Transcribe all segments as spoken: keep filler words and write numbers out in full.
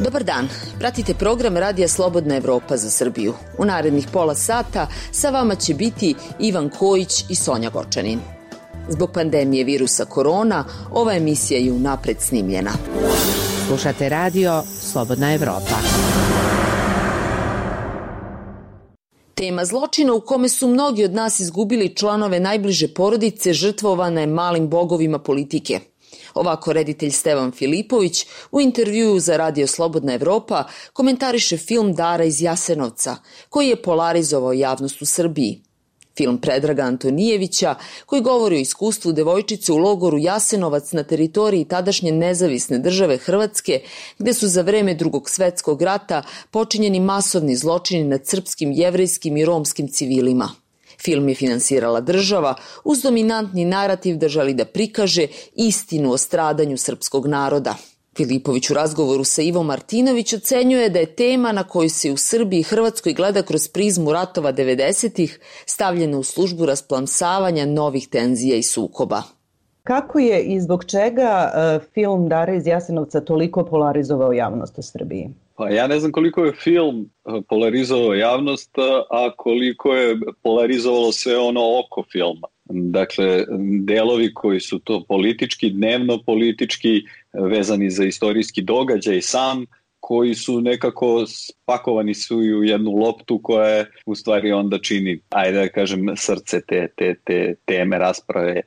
Dobar dan, pratite program Radija Slobodna Evropa za Srbiju. U narednih pola sata sa vama će biti Ivan Kojić i Sonja Gočanin. Zbog pandemije virusa korona, ova emisija je unapred snimljena. Slušate Radio Slobodna Evropa. Tema zločina u kome su mnogi od nas izgubili članove najbliže porodice žrtvovana je malim bogovima politike. Ovako reditelj Stevan Filipović u intervjuu za Radio Slobodna Evropa komentariše film Dara iz Jasenovca, koji je polarizovao javnost u Srbiji. Film Predraga Antonijevića, koji govori o iskustvu devojčice u logoru Jasenovac na teritoriji tadašnje nezavisne države Hrvatske, gde su za vreme Drugog svetskog rata počinjeni masovni zločini nad srpskim, jevrejskim i romskim civilima. Film je finansirala država uz dominantni narativ da želi da prikaže istinu o stradanju srpskog naroda. Filipović u razgovoru sa Ivom Martinović ocenjuje da je tema na koju se u Srbiji i Hrvatskoj gleda kroz prizmu ratova devedesetih stavljena u službu rasplamsavanja novih tenzija i sukoba. Kako je i zbog čega uh, film Dara iz Jasenovca toliko polarizovao javnost u Srbiji? Pa ja ne znam koliko je film polarizovao javnost, a koliko je polarizovalo sve ono oko filma. Dakle, delovi koji su to politički, dnevno politički, vezani za istorijski događaj sam, koji su nekako spakovani su u jednu loptu koja je u stvari onda čini, ajde da kažem, srce te, te, te teme rasprave,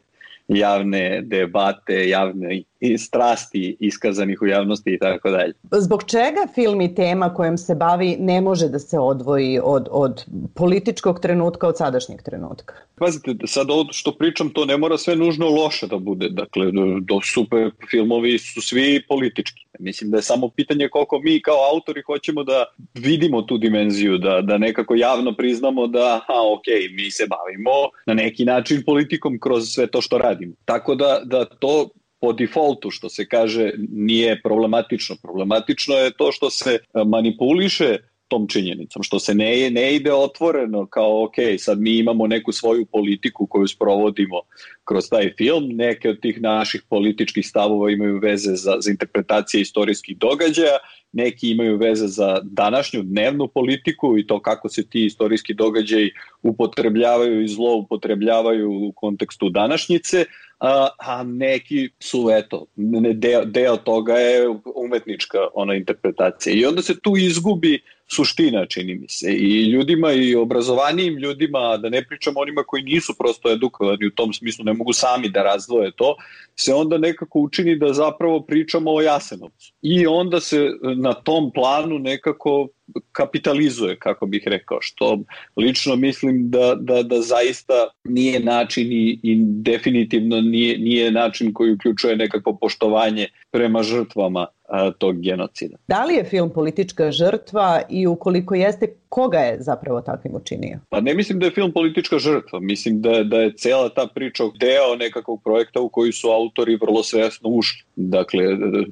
javne debate, javne strasti iskazanih u javnosti i tako dalje. Zbog čega film i tema kojom se bavi ne može da se odvoji od, od političkog trenutka, od sadašnjeg trenutka? Pazite, sad ovo što pričam, to ne mora sve nužno loše da bude. Dakle, do super filmovi su svi politički. Mislim da je samo pitanje koliko mi kao autori hoćemo da vidimo tu dimenziju, da, da nekako javno priznamo da, a ok, mi se bavimo na neki način politikom kroz sve to što radimo. Tako da, da to po defaultu, što se kaže, nije problematično. Problematično je to što se manipuliše tom činjenicom, što se ne, ne ide otvoreno kao ok, sad mi imamo neku svoju politiku koju sprovodimo kroz taj film, neke od tih naših političkih stavova imaju veze za, za interpretacije istorijskih događaja, neki imaju veze za današnju dnevnu politiku i to kako se ti istorijski događaji upotrebljavaju i zloupotrebljavaju u kontekstu današnjice, a, a neki su, eto, deo, deo toga je umetnička ona interpretacija. I onda se tu izgubi suština, čini mi se. I ljudima, i obrazovanijim ljudima, da ne pričamo onima koji nisu prosto edukovani u tom smislu, ne mogu sami da razdvoje to, se onda nekako učini da zapravo pričamo o Jasenovcu. I onda se na tom planu nekako kapitalizuje, kako bih rekao, što lično mislim da, da, da zaista nije način i, i definitivno nije, nije način koji uključuje nekako poštovanje prema žrtvama a, tog genocida. Da li je film politička žrtva i ukoliko jeste, koga je zapravo takvim učinio? Pa ne mislim da je film politička žrtva, mislim da, da je cela ta priča deo nekakvog projekta u koji su autori vrlo svesno ušli. Dakle,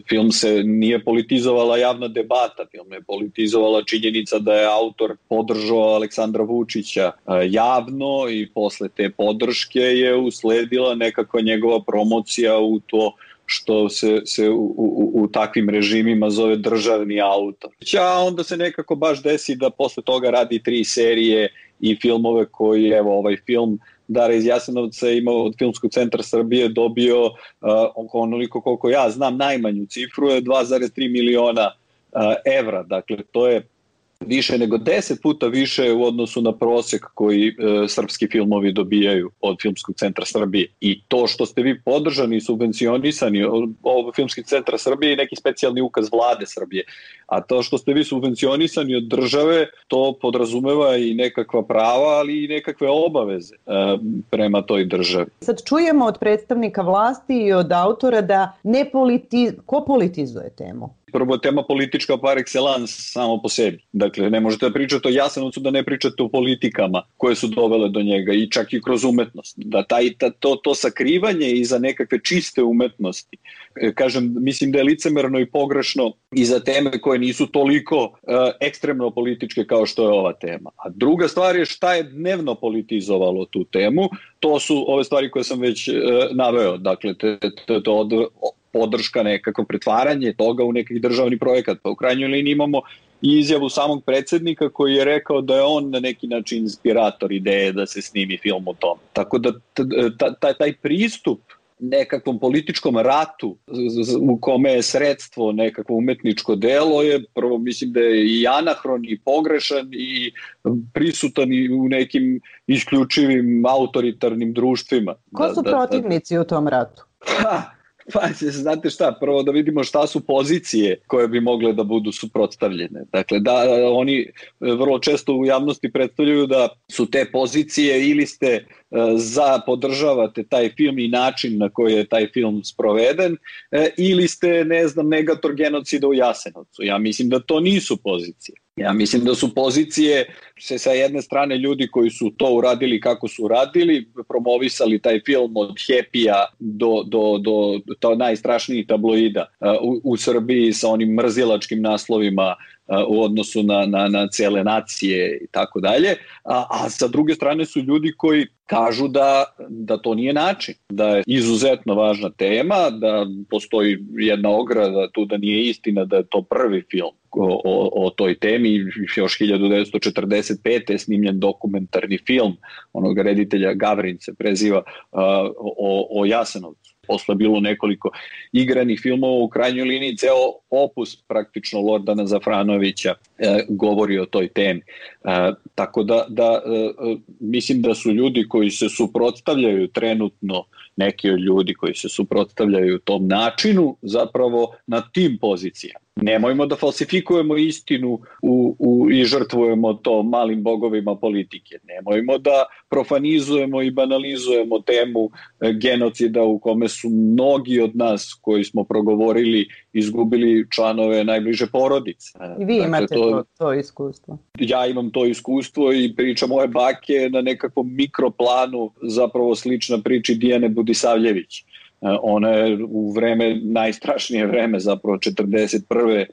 film se nije politizovala javna debata, film je politizovala činjenica da je autor podržao Aleksandra Vučića javno i posle te podrške je usledila nekakva njegova promocija u to što se, se u, u, u takvim režimima zove državni autor. A onda se nekako baš desi da posle toga radi tri serije i filmove koji, evo ovaj film Dara iz Jasenovca imao od Filmskog centra Srbije dobio uh, onoliko koliko ja znam najmanju cifru je dva zarez tri miliona uh, evra. Dakle, to je više nego deset puta više u odnosu na prosek koji e, srpski filmovi dobijaju od Filmskog centra Srbije. I to što ste vi podržani i subvencionisani od Filmskog centra Srbije i neki specijalni ukaz vlade Srbije, a to što ste vi subvencionisani od države, to podrazumeva i nekakva prava, ali i nekakve obaveze e, prema toj državi. Sad čujemo od predstavnika vlasti i od autora da ne politi... ko politizuje temu? prvo tema politička par excellence samo po sebi. Dakle, ne možete da pričate o Jasenovcu da ne pričate o politikama koje su dovele do njega i čak i kroz umetnost. Da taj, ta, to, to sakrivanje iza nekakve čiste umetnosti, kažem, mislim da je licemerno i pogrešno i za teme koje nisu toliko uh, ekstremno političke kao što je ova tema. A druga stvar je šta je dnevno politizovalo tu temu, to su ove stvari koje sam već uh, naveo, dakle, te, te, to od, podrška, nekako pretvaranje toga u nekih državni projekat. Pa u krajnjoj liniji imamo i izjavu samog predsednika koji je rekao da je on na neki način inspirator ideje da se snimi film o tom. Tako da taj, taj pristup nekakvom političkom ratu u kome je sredstvo nekakvo umetničko delo je prvo mislim da je i anahron i pogrešan i prisutan i u nekim isključivim autoritarnim društvima. Ko su da, protivnici da, da, u tom ratu? Ha, pa znate šta, prvo da vidimo šta su pozicije koje bi mogle da budu suprotstavljene. Dakle, da oni vrlo često u javnosti predstavljaju da su te pozicije ili ste za podržavate taj film i način na koji je taj film sproveden ili ste, ne znam, negator genocida u Jasenovcu. Ja mislim da to nisu pozicije. Ja mislim da su pozicije se sa jedne strane ljudi koji su to uradili kako su uradili, promovisali taj film od Happy-a do, do, do, do najstrašnijih tabloida u, u Srbiji sa onim mrzilačkim naslovima u odnosu na, na, na cele nacije i tako dalje, a, a sa druge strane su ljudi koji kažu da, da to nije način, da je izuzetno važna tema, da postoji jedna ograda tu da nije istina da je to prvi film o, o, o toj temi, još hiljadu devetsto četrdeset pete je snimljen dokumentarni film onog reditelja Gavrin se preziva o, o Jasenovcu. Posle bilo nekoliko igranih filmova, u krajnjoj liniji ceo opus praktično Lordana Zafranovića e, govori o toj temi. E, tako da, da e, mislim da su ljudi koji se suprotstavljaju trenutno, neki od ljudi koji se suprotstavljaju tom načinu, zapravo na tim pozicijama. Nemojmo da falsifikujemo istinu u, u, i žrtvujemo to malim bogovima politike. Nemojmo da profanizujemo i banalizujemo temu genocida u kome su mnogi od nas koji smo progovorili izgubili članove najbliže porodice. I vi imate dakle, to, to, to iskustvo. Ja imam to iskustvo i priča moje bake na nekakvom mikroplanu zapravo slična priči Dijane Budisavljević. Ona je u vreme, najstrašnije vreme, zapravo četrdeset prve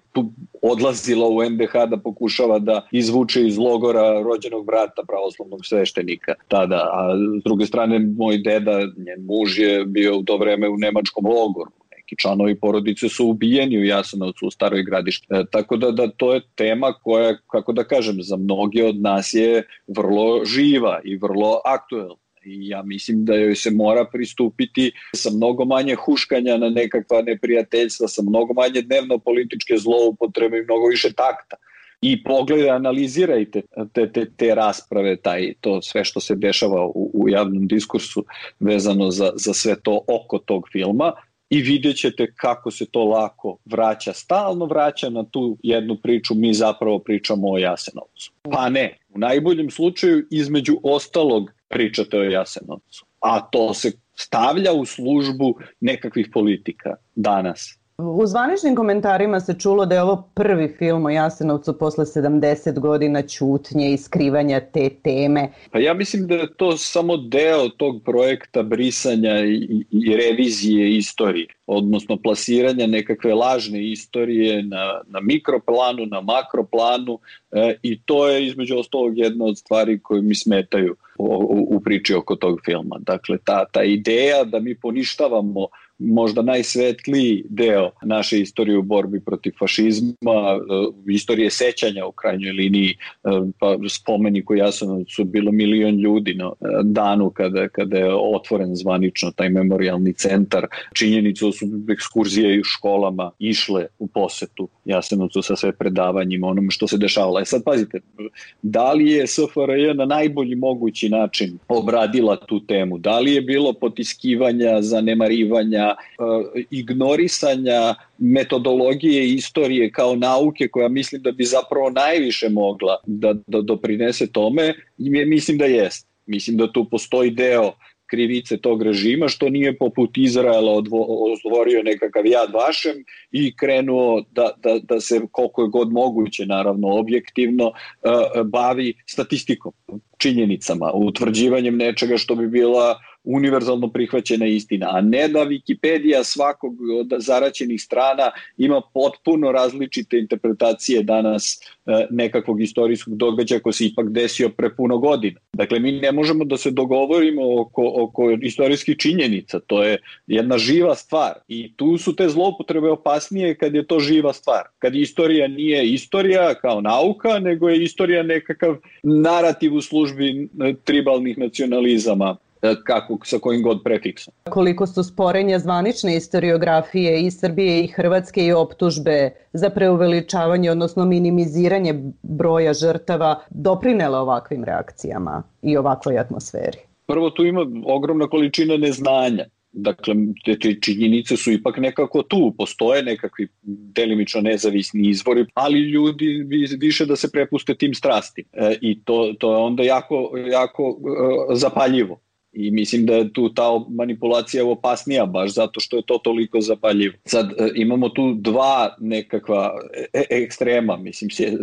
odlazila u en de ha da pokušava da izvuče iz logora rođenog brata pravoslavnog sveštenika tada, a s druge strane moj deda, njen muž je bio u to vreme u nemačkom logoru. Neki članovi porodice su ubijeni u Jasenovcu, u Staroj Gradiški. E, tako da, da to je tema koja, kako da kažem, za mnoge od nas je vrlo živa i vrlo aktuelna. I ja mislim da joj se mora pristupiti sa mnogo manje huškanja na nekakva neprijateljstva, sa mnogo manje dnevno političke zloupotrebe i mnogo više takta. I pogledaj, analizirajte te, te, te rasprave, taj, to sve što se dešava u, u javnom diskursu vezano za, za sve to oko tog filma i vidjet ćete kako se to lako vraća, stalno vraća na tu jednu priču, mi zapravo pričamo o Jasenovcu. Pa ne, u najboljem slučaju između ostalog pričate o Jasenovcu, a to se stavlja u službu nekakvih politika danas. U zvaničnim komentarima se čulo da je ovo prvi film o Jasenovcu posle sedamdeset godina ćutnje i skrivanja te teme. Pa ja mislim da je to samo deo tog projekta brisanja i, i revizije istorije, odnosno plasiranja nekakve lažne istorije na, na mikroplanu, na makroplanu e, i to je između ostalog jedna od stvari koje mi smetaju u, u, u priči oko tog filma. Dakle, ta, ta ideja da mi poništavamo možda najsvetliji deo naše istorije u borbi protiv fašizma, istorije sećanja u krajnjoj liniji, pa spomenik u Jasenovcu su bilo milion ljudi na danu kada, kada je otvoren zvanično taj memorijalni centar. Činjenicu su ekskurzije u školama išle u posetu Jasenovcu sa sve predavanjima, onome što se dešavalo. E sad pazite, da li je es fe er je na najbolji mogući način obradila tu temu? Da li je bilo potiskivanja, zanemarivanja, ignorisanja metodologije i istorije kao nauke koja mislim da bi zapravo najviše mogla da, da doprinese tome, mislim da jest. Mislim da tu postoji deo krivice tog režima, što nije poput Izraela odvorio nekakav Jad Vašem i krenuo da, da, da se koliko je god moguće, naravno objektivno, bavi statistikom, činjenicama, utvrđivanjem nečega što bi bila univerzalno prihvaćena istina, a ne da Wikipedija svakog od zaraćenih strana ima potpuno različite interpretacije danas nekakvog istorijskog događaja koji se ipak desio pre puno godina. Dakle, mi ne možemo da se dogovorimo oko, oko istorijskih činjenica, to je jedna živa stvar i tu su te zloupotrebe opasnije kad je to živa stvar. Kad istorija nije istorija kao nauka, nego je istorija nekakav narativ u službi tribalnih nacionalizama, kako, sa kojim god prefiksom. Koliko su sporenja zvanične istoriografije i Srbije i Hrvatske i optužbe za preuveličavanje, odnosno minimiziranje broja žrtava doprinele ovakvim reakcijama i ovakvoj atmosferi? Prvo, tu ima ogromna količina neznanja. Dakle, te, te činjenice su ipak nekako tu, postoje nekakvi delimično nezavisni izvori, ali ljudi više da se prepuste tim strastima. E, I to, to je onda jako, jako e, zapaljivo. I mislim da je tu ta manipulacija opasnija baš zato što je to toliko zapaljivo. Sad e, imamo tu dva nekakva e, ekstrema, mislim se, e,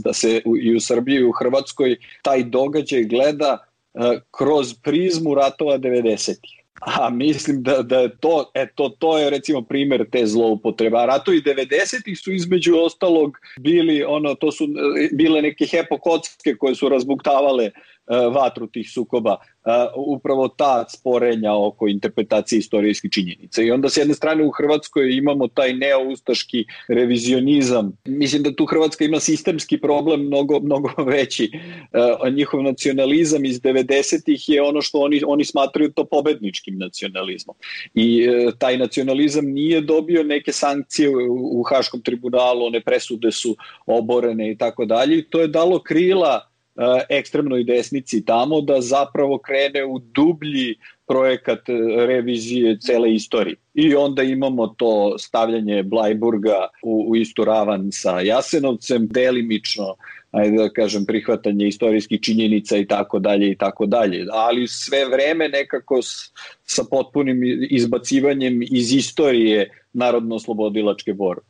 da se u, i u Srbiji i u Hrvatskoj taj događaj gleda e, kroz prizmu ratova devedesetih. A mislim da, da je to, eto, to je recimo primjer te zloupotreba. Ratovi devedesetih su između ostalog bili, ono, to su bile neke hepokocke koje su razbuktavale uh, vatru tih sukoba. Uh, upravo ta sporenja oko interpretacije istorijskih činjenica. I onda s jedne strane u Hrvatskoj imamo taj neoustaški revizionizam. Mislim da tu Hrvatska ima sistemski problem mnogo, mnogo veći. Uh, njihov nacionalizam iz devedesetih je ono što oni, oni smatraju to pobedničkim nacionalizmom. I uh, taj nacionalizam nije dobio neke sankcije u, u Haškom tribunalu, one presude su oborene i tako dalje. To je dalo krila ekstremnoj desnici tamo da zapravo krene u dublji projekat revizije cele istorije. I onda imamo to stavljanje Blajburga u, u istu ravan sa Jasenovcem, delimično, ajde da kažem, prihvatanje istorijskih činjenica i tako dalje i tako dalje. Ali sve vreme nekako s, sa potpunim izbacivanjem iz istorije narodno-oslobodilačke borbe.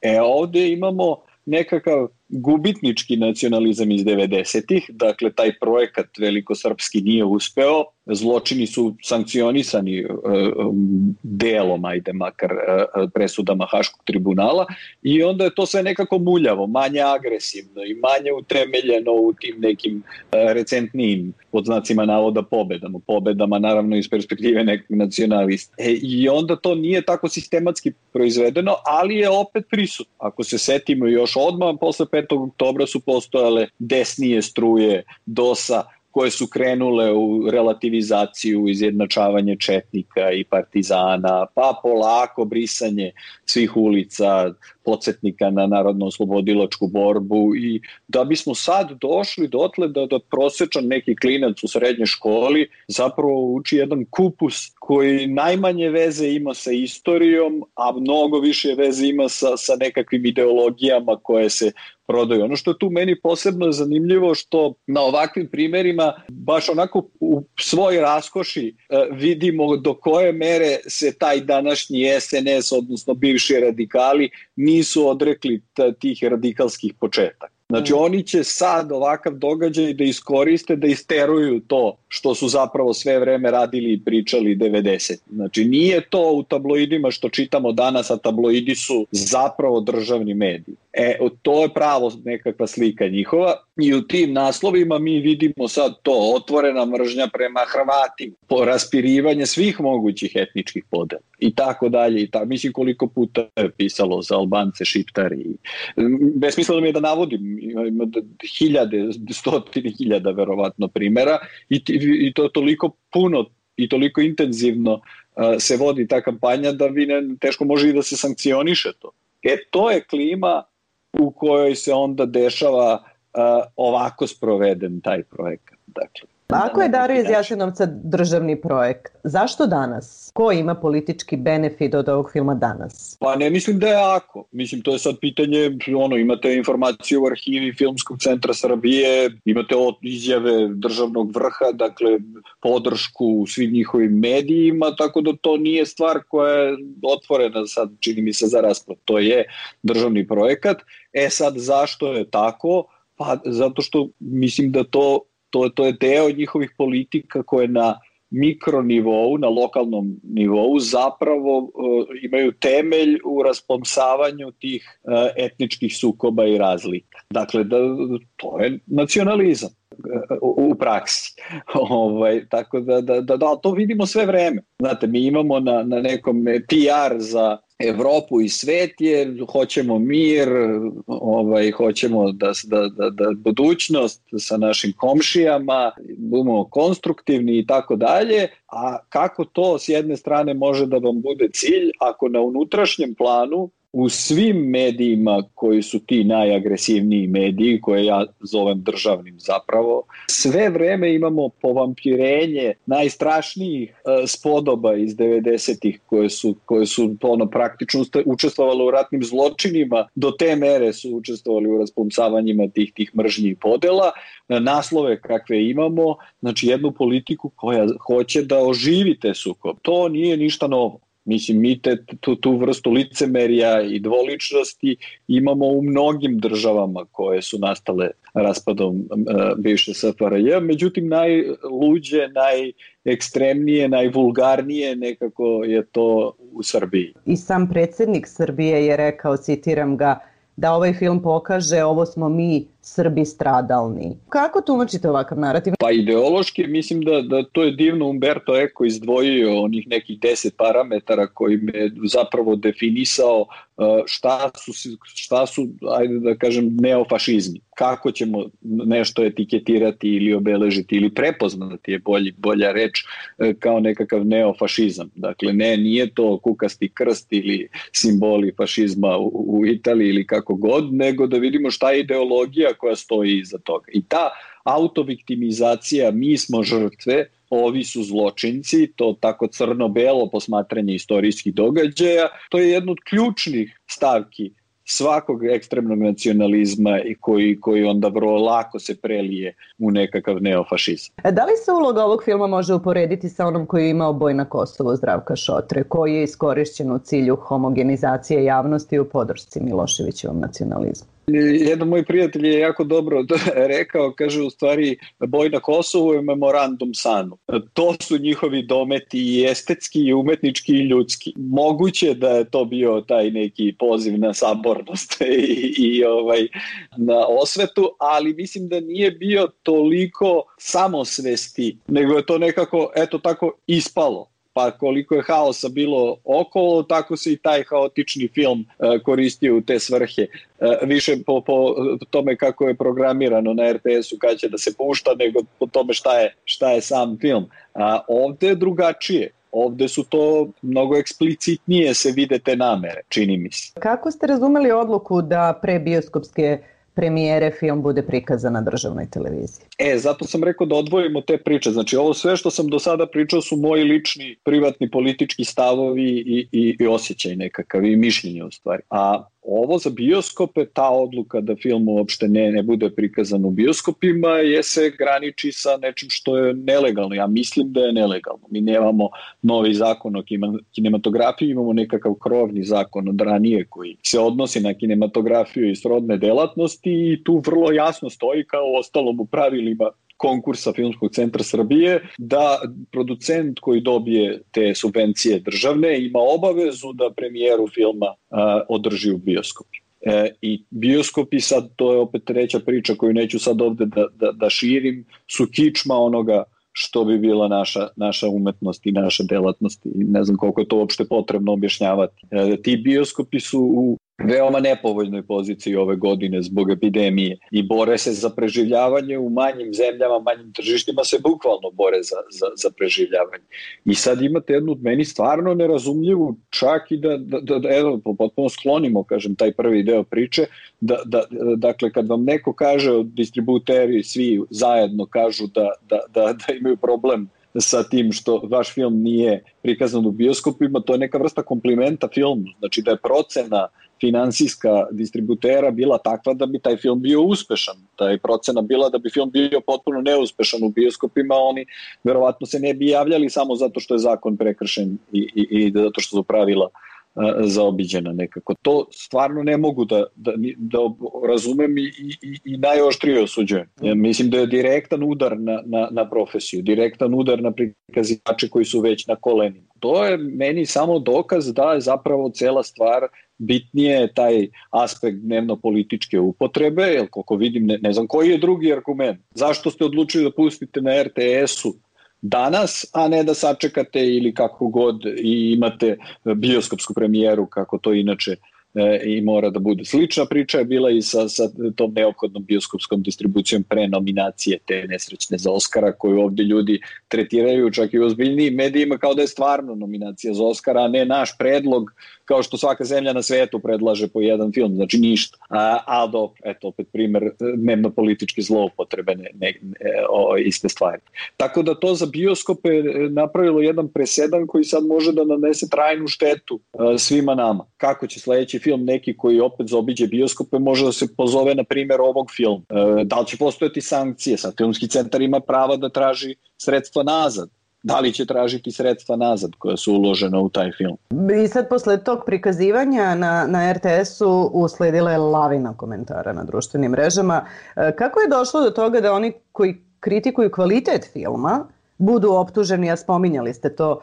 E ovde imamo nekakav gubitnički nacionalizam iz devedesetih, dakle taj projekat velikosrpski nije uspeo, zločini su sankcionisani e, delom, ajde makar e, presudama Haškog tribunala i onda je to sve nekako muljavo, manje agresivno i manje utemeljeno u tim nekim e, recentnijim, pod znacima navoda, pobedama. Pobedama naravno iz perspektive nekog nacionalista. E, I onda to nije tako sistematski proizvedeno, ali je opet prisutno. Ako se setimo još odmah, posle petog oktobra su postojale desnije struje dosa koje su krenule u relativizaciju, izjednačavanje četnika i partizana, pa polako brisanje svih ulica, podsjetnika na narodno-oslobodilačku borbu i da bismo sad došli dotle da, da prosječan neki klinac u srednjoj školi zapravo uči jedan kupus koji najmanje veze ima sa istorijom, a mnogo više veze ima sa, sa nekakvim ideologijama koje se prodaju. Ono što je tu meni posebno zanimljivo što na ovakvim primerima baš onako u svoj raskoši vidimo do koje mere se taj današnji S N S, odnosno bivši radikali, nisu odrekli tih radikalskih početaka. Znači oni će sad ovakav događaj da iskoriste, da isteruju to što su zapravo sve vreme radili i pričali devedeset. Znači nije to u tabloidima što čitamo danas, a tabloidi su zapravo državni mediji. E, to je pravo nekakva slika njihova i u tim naslovima mi vidimo sad to, otvorena mržnja prema Hrvatima, raspirivanje svih mogućih etničkih podela i tako dalje. I ta, mislim koliko puta je pisalo za Albance, Šiptari. Besmisleno mi je da navodim, ima hiljade, stotine hiljada verovatno primjera i, i to toliko puno i toliko intenzivno uh, se vodi ta kampanja da vi ne, teško može i da se sankcioniše to. E, to je klima u kojoj se onda dešava uh, ovako sproveden taj projekat. Dakle, ako je Dara iz Jasenovca državni projekt, zašto danas? Ko ima politički benefit od ovog filma danas? Pa ne mislim da je ako. Mislim, to je sad pitanje, ono, imate informaciju u arhivi Filmskog centra Srbije, imate izjave državnog vrha, dakle, podršku u svim njihovim medijima, tako da to nije stvar koja je otvorena sad, čini mi se, za raspravu. To je državni projekat. E sad, zašto je tako? Pa zato što mislim da to To, to je deo njihovih politika koje na mikronivou, na lokalnom nivou zapravo uh, imaju temelj u raspomsavanju tih uh, etničkih sukoba i razlika. Dakle, da, to je nacionalizam uh, u praksi. ovaj, tako da, da, da, da, to vidimo sve vreme. Znate, mi imamo na, na nekom P R za Evropu i svet je, hoćemo mir, ovaj, hoćemo da, da, da, da budućnost sa našim komšijama, budemo konstruktivni i tako dalje, a kako to s jedne strane može da vam bude cilj ako na unutrašnjem planu u svim medijima koji su ti najagresivniji mediji, koje ja zovem državnim zapravo, sve vreme imamo povampirenje najstrašnijih uh, spodoba iz devedesetih koje su, koje su ono, praktično učestvovali u ratnim zločinima, do te mere su učestvovali u raspomsavanjima tih, tih mržnji i podela, naslove kakve imamo, znači jednu politiku koja hoće da oživi te sukob. To nije ništa novo. Mislim, mi te, tu, tu vrstu licemerja i dvoličnosti imamo u mnogim državama koje su nastale raspadom uh, bivše S F R J, međutim najluđe, najekstremnije, najvulgarnije nekako je to u Srbiji. I sam predsjednik Srbije je rekao, citiram ga, da ovaj film pokaže ovo smo mi Srbi stradalni. Kako tumačite ovakav narativ? Pa ideološki mislim da, da to je divno Umberto Eco izdvojio onih nekih deset parametara koji me zapravo definisao šta su, šta su, ajde da kažem, neofašizmi. Kako ćemo nešto etiketirati ili obeležiti ili prepoznati je bolji, bolja reč kao nekakav neofašizam. Dakle, ne, nije to kukasti krst ili simboli fašizma u, u Italiji ili kako god, nego da vidimo šta je ideologija koja stoji iza toga. I ta autoviktimizacija, mi smo žrtve, ovi su zločinci, to tako crno-belo posmatranje istorijskih događaja, to je jedno od ključnih stavki svakog ekstremnog nacionalizma i koji, koji onda vrlo lako se prelije u nekakav neofašizam. Da li se uloga ovog filma može uporediti sa onom koju je imao Boj na Kosovu Zdravka Šotre, koji je iskorišćen u cilju homogenizacije javnosti u podršci Miloševićevom nacionalizmu? Jedan moj prijatelj je jako dobro rekao, kaže u stvari Boj na Kosovu je memorandum sanu. To su njihovi dometi i estetski i umetnički i ljudski. Moguće da je to bio taj neki poziv na sabornost i, i ovaj, na osvetu, ali mislim da nije bio toliko samosvesti, nego je to nekako, eto tako, ispalo. Pa koliko je haosa bilo okolo, tako se i taj haotični film uh, koristio u te svrhe. Uh, više po, po tome kako je programirano na R T S-u kad će da se pušta, nego po tome šta je, šta je sam film. A ovde je drugačije. Ovde su to mnogo eksplicitnije se vide te namere, čini mi se. Kako ste razumeli odluku da pre bioskopske premijere film bude prikazan na državnoj televiziji? E, zato sam rekao da odvojimo te priče. Znači, ovo sve što sam do sada pričao su moji lični, privatni, politički stavovi i, i, i osjećaj nekakav i mišljenje u stvari. A ovo za bioskope, ta odluka da film uopšte ne, ne bude prikazan u bioskopima je se graniči sa nečim što je nelegalno. Ja mislim da je nelegalno. Mi nemamo novi zakon o kinematografiji, imamo nekakav krovni zakon od ranije koji se odnosi na kinematografiju i srodne delatnosti i tu vrlo jasno stoji kao ostalom u pravilima konkursa Filmskog centra Srbije da producent koji dobije te subvencije državne ima obavezu da premijeru filma a, održi u bioskopi. E, I bioskopi, sad to je opet treća priča koju neću sad ovde da, da, da širim, su kičma onoga što bi bila naša, naša umetnost i naša delatnost i ne znam koliko je to uopšte potrebno objašnjavati. E, ti bioskopi su u veoma nepovoljnoj poziciji ove godine zbog epidemije i bore se za preživljavanje u manjim zemljama, manjim tržištima se bukvalno bore za, za, za preživljavanje. I sad imate jednu meni stvarno nerazumljivu, čak i da, da, da, da evo, potpuno sklonimo, kažem, taj prvi deo priče, da, da, dakle, kad vam neko kaže, distributeri svi zajedno kažu da, da, da, da imaju problem sa tim što vaš film nije prikazan u bioskopima, to je neka vrsta komplimenta filmu, znači da je procena finansijska distributera bila takva da bi taj film bio uspešan. Ta je procena bila da bi film bio potpuno neuspešan u bioskopima, oni verovatno se ne bi javljali samo zato što je zakon prekršen i, i, i zato što su pravila uh, zaobiđena nekako. To stvarno ne mogu da, da, da razumem i, i, i najoštrije osuđujem. Ja mislim da je direktan udar na, na, na profesiju, direktan udar na prikazivače koji su već na kolenima. To je meni samo dokaz da je zapravo cela stvar bitnije je taj aspekt dnevno-političke upotrebe, jer koliko vidim, ne, ne znam koji je drugi argument. Zašto ste odlučili da pustite na er te esu danas, a ne da sačekate ili kako god i imate bioskopsku premijeru, kako to inače e, i mora da bude. Slična priča je bila i sa, sa tom neophodnom bioskopskom distribucijom pre nominacije te nesrećne za Oscara, koju ovdje ljudi tretiraju čak i u ozbiljnijim medijima kao da je stvarno nominacija za Oscara, a ne naš predlog, kao što svaka zemlja na svetu predlaže po jedan film, znači ništa. A, a do, eto, opet primer dnevno-političke zloupotrebe, ne, ne, o, iste stvari. Tako da to za bioskope napravilo jedan presedan koji sad može da nanese trajnu štetu a, svima nama. Kako će sledeći film neki koji opet zaobiđe bioskope može da se pozove na primjer ovog filma? E, da li će postojati sankcije? Sad Filmski centar ima prava da traži sredstva nazad. Da li će tražiti sredstva nazad koja su uložena u taj film? I sad posle tog prikazivanja na, na er te esu usledila je lavina komentara na društvenim mrežama. Kako je došlo do toga da oni koji kritikuju kvalitet filma budu optuženi, a spominjali ste to,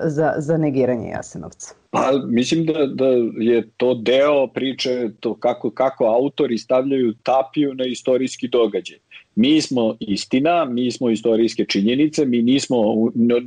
za, za negiranje Jasenovca? Pa mislim da, da je to deo priče to kako, kako autori stavljaju tapiju na istorijski događaj. Mi smo istina, mi smo istorijske činjenice, mi nismo,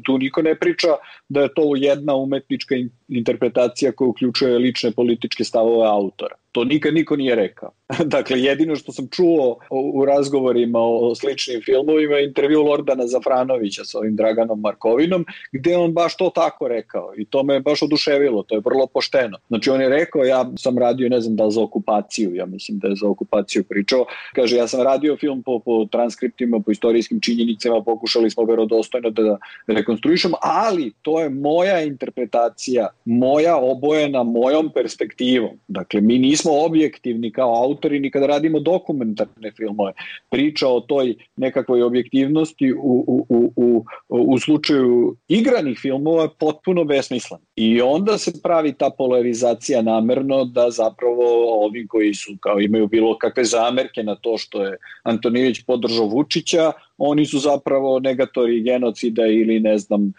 tu niko ne priča da je to jedna umetnička interpretacija koja uključuje lične političke stavove autora. To nikad niko nije rekao. Dakle, jedino što sam čuo u razgovorima o sličnim filmovima je intervju Lordana Zafranovića sa ovim Draganom Markovinom, gde on baš to tako rekao i to me baš oduševilo, to je vrlo pošteno. Znači on je rekao, ja sam radio, ne znam da li za okupaciju, ja mislim da je za okupaciju pričao, kaže ja sam radio film po, po transkriptima, po istorijskim činjenicama, pokušali smo verodostojno da rekonstruišemo, ali to je moja interpretacija, moja obojena mojom perspektivom. Dakle, mi nismo objektivni kao autori ni kada radimo dokumentarne filmove. Priča o toj nekakvoj objektivnosti u, u, u, u, u slučaju igranih filmova je potpuno besmislena. I onda se pravi ta polarizacija namerno da zapravo ovi koji su kao imaju bilo kakve zamerke na to što je Antonijević podržao Vučića, oni su zapravo negatori genocida ili ne znam,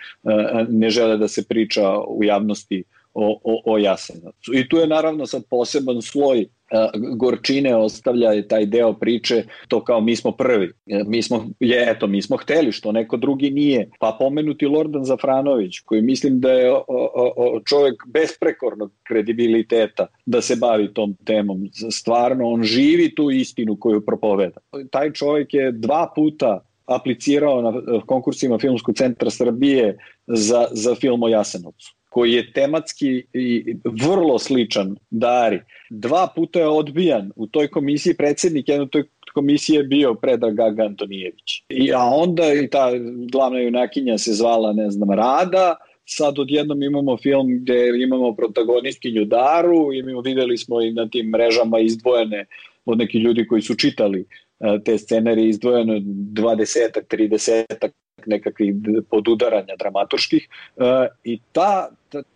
ne žele da se priča u javnosti o, o, o Jasenovcu. I tu je naravno sad poseban sloj gorčine ostavlja taj deo priče, to kao mi smo prvi. Mi smo, je, eto, mi smo hteli što neko drugi nije. Pa pomenuti Lordan Zafranović, koji mislim da je o, o, o, čovjek besprekornog kredibiliteta da se bavi tom temom. Stvarno, on živi tu istinu koju propoveda. Taj čovjek je dva puta aplicirao na konkursima Filmskog centra Srbije za, za film o Jasenovcu, koji je tematski i vrlo sličan Dari. Dva puta je odbijan. U toj komisiji predsjednik jedne toj komisije je bio Predrag Gaga Antonijević. I, a onda i ta glavna junakinja se zvala, ne znam, Rada. Sad odjednom imamo film gde imamo protagonistkinju Daru, imamo, videli smo i na tim mrežama izdvojene od nekih ljudi koji su čitali te scenarije, izdvojeno dvadesetak, tridesetak nekakvih podudaranja dramaturških i ta,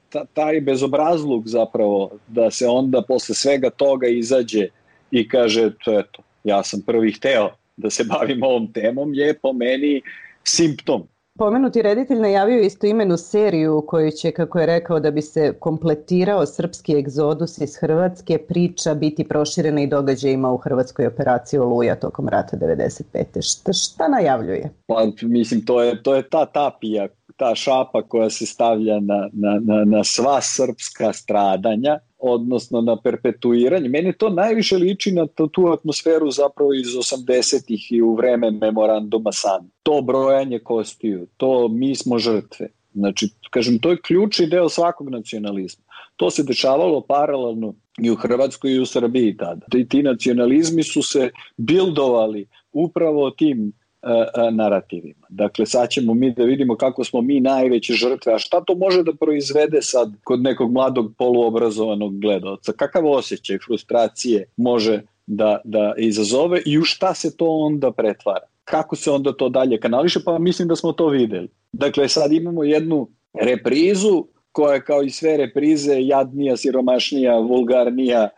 ta, taj bezobrazluk zapravo da se onda posle svega toga izađe i kaže eto, ja sam prvi hteo da se bavim ovom temom je po meni simptom. Pomenuti reditelj najavio istoimenu seriju u kojoj će, kako je rekao, da bi se kompletirao srpski egzodus iz Hrvatske, priča biti proširena i događajima u hrvatskoj operaciji Oluja tokom rata devedeset pete. Šta, šta najavljuje? Pa, mislim, to je, to je ta tapija, ta šapa koja se stavlja na, na, na, na sva srpska stradanja odnosno na perpetuiranje. Meni to najviše liči na tu, tu atmosferu zapravo iz osamdesetih i u vreme memoranduma San. To brojanje kostiju, to mi smo žrtve. Znači, kažem, to je ključni deo svakog nacionalizma. To se dešavalo paralelno i u Hrvatskoj i u Srbiji tada. I ti nacionalizmi su se bildovali upravo tim uh, narativima. Dakle, sad ćemo mi da vidimo kako smo mi najveće žrtve, a šta to može da proizvede sad kod nekog mladog poluobrazovanog gledaoca? Kakav osjećaj frustracije može da, da izazove i u šta se to onda pretvara? Kako se onda to dalje kanališe? Pa mislim da smo to videli. Dakle, sad imamo jednu reprizu koja je kao i sve reprize jadnija, siromašnija, vulgarnija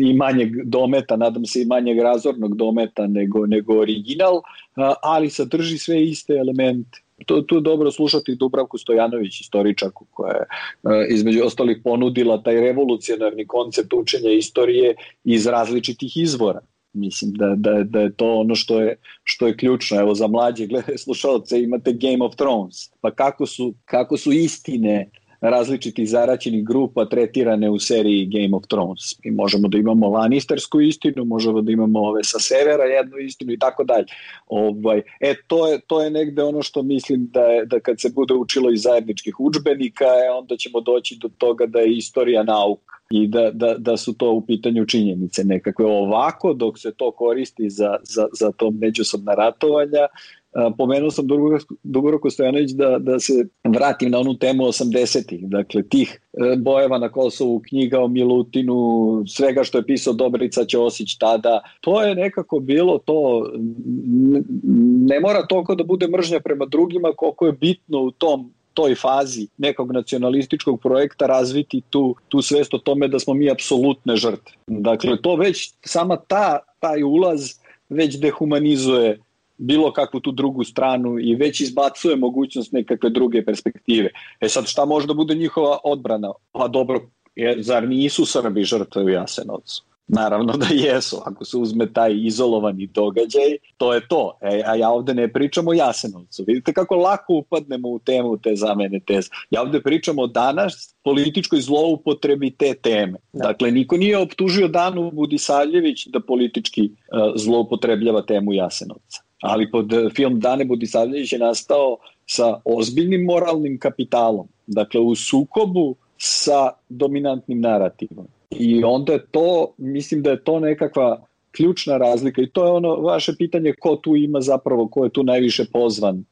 i manjeg dometa, nadam se i manjeg razornog dometa nego, nego original, ali sadrži sve iste elemente. To, tu je dobro slušati Dubravku Stojanović, istoričarku, koja je između ostalih ponudila taj revolucionarni koncept učenja istorije iz različitih izvora. Mislim da, da, da je to ono što je, što je ključno. Evo, za mlađe slušalce imate Game of Thrones. Pa kako su, kako su istine različitih zaraćenih grupa tretirane u seriji Game of Thrones. Mi možemo da imamo Lannistersku istinu, možemo da imamo ove sa severa jednu istinu i tako dalje. Ovaj, e, to je, to je negde ono što mislim da, je, da kad se bude učilo iz zajedničkih udžbenika, e, onda ćemo doći do toga da je istorija nauka i da, da, da su to u pitanju činjenice nekakve. Ovako, dok se to koristi za, za, za to međusobna ratovanja, pomenuo sam Dubravku Stojanović da, da se vratim na onu temu osamdesetih, dakle tih bojeva na Kosovu, knjiga o Milutinu, svega što je pisao Dobrica Ćosić tada, to je nekako bilo to, ne mora toliko da bude mržnja prema drugima koliko je bitno u tom toj fazi nekog nacionalističkog projekta razviti tu, tu svest o tome da smo mi apsolutne žrtve. Dakle, to već, sama ta, taj ulaz već dehumanizuje bilo kakvu tu drugu stranu i već izbacuje mogućnost nekakve druge perspektive. E sad, šta može da bude njihova odbrana? Pa dobro, jer, zar nisu Srbi žrtve u Jasenovcu? Naravno da jesu, ako se uzme taj izolovani događaj, to je to. E, a ja ovde ne pričam o Jasenovcu. Vidite kako lako upadnemo u temu te zamene teze. Ja ovde pričam o danas političkoj zloupotrebi te teme. Da. Dakle, niko nije optužio Danu Budisavljević da politički uh, zloupotrebljava temu Jasenovca. Ali pod film Dane Budisavljević je nastao sa ozbiljnim moralnim kapitalom. Dakle, u sukobu sa dominantnim narativom. I onda je to, mislim da je to nekakva ključna razlika i to je ono vaše pitanje ko tu ima zapravo, ko je tu najviše pozvan.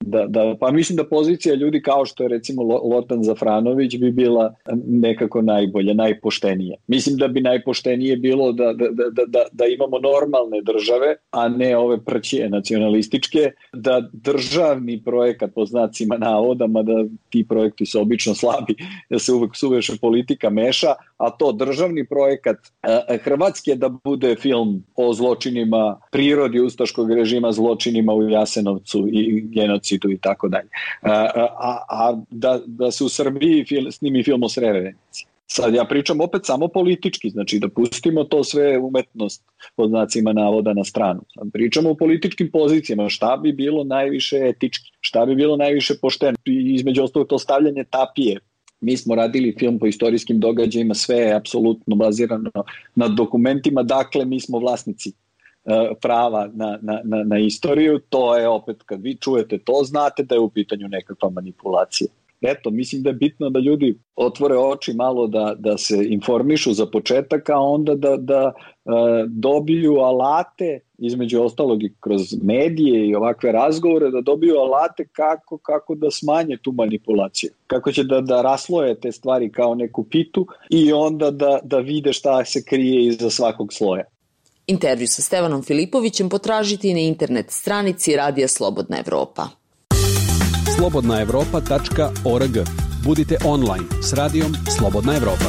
Da, da, pa mislim da pozicija ljudi kao što je recimo Lotan Zafranović bi bila nekako najbolja, najpoštenija. Mislim da bi najpoštenije bilo da, da, da, da, da imamo normalne države, a ne ove prćije nacionalističke, da državni projekat po znacima navodama, da ti projekti su obično slabi, da se uvek suveše politika meša, a to državni projekat Hrvatske da bude film o zločinima prirodi ustaškog režima, zločinima u Jasenovcu i genocidu i tako dalje. A, a da, da se u Srbiji fil, snimi film o Srebrenici. Sad ja pričam opet samo politički, znači da pustimo to sve umetnost pod znacima navoda na stranu. Sad pričamo o političkim pozicijama, šta bi bilo najviše etički, šta bi bilo najviše pošteno, između ostalog to stavljanje tapije. Mi smo radili film po istorijskim događajima, sve je apsolutno bazirano na dokumentima, dakle mi smo vlasnici uh, prava na, na, na, na istoriju, to je opet kad vi čujete to, znate da je u pitanju nekakva manipulacija. Eto, mislim da je bitno da ljudi otvore oči malo da, da se informišu za početak, a onda da, da uh, dobiju alate, između ostalog i kroz medije i ovakve razgovore, da dobiju alate kako, kako da smanje tu manipulaciju. Kako će da, da rasloje te stvari kao neku pitu i onda da, da vide šta se krije iza svakog sloja. Intervju sa Stevanom Filipovićem potražiti na internet stranici Radija Slobodna Evropa. slobodna evropa tačka org. Budite online s radijom Slobodna Evropa.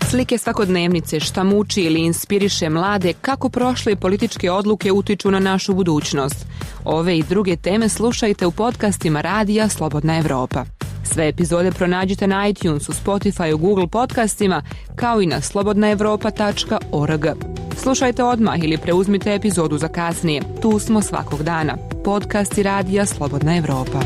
Slike svakodnevnice, šta muči ili inspiriše mlade, kako prošle političke odluke utiču na našu budućnost. Ove i druge teme slušajte u podcastima Radija Slobodna Evropa. Sve epizode pronađite na iTunesu, Spotifyu, Google podcastima, kao i na slobodna evropa tačka org. Slušajte odmah ili preuzmite epizodu za kasnije. Tu smo svakog dana. Podcasti Radija Slobodna Evropa.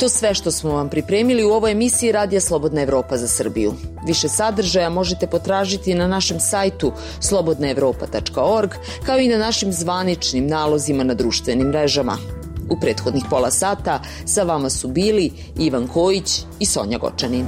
To sve što smo vam pripremili u ovoj emisiji Radija Slobodna Evropa za Srbiju. Više sadržaja možete potražiti na našem sajtu slobodna evropa tačka org, kao i na našim zvaničnim nalozima na društvenim mrežama. U prethodnih pola sata sa vama su bili Ivan Kojić i Sonja Gočanin.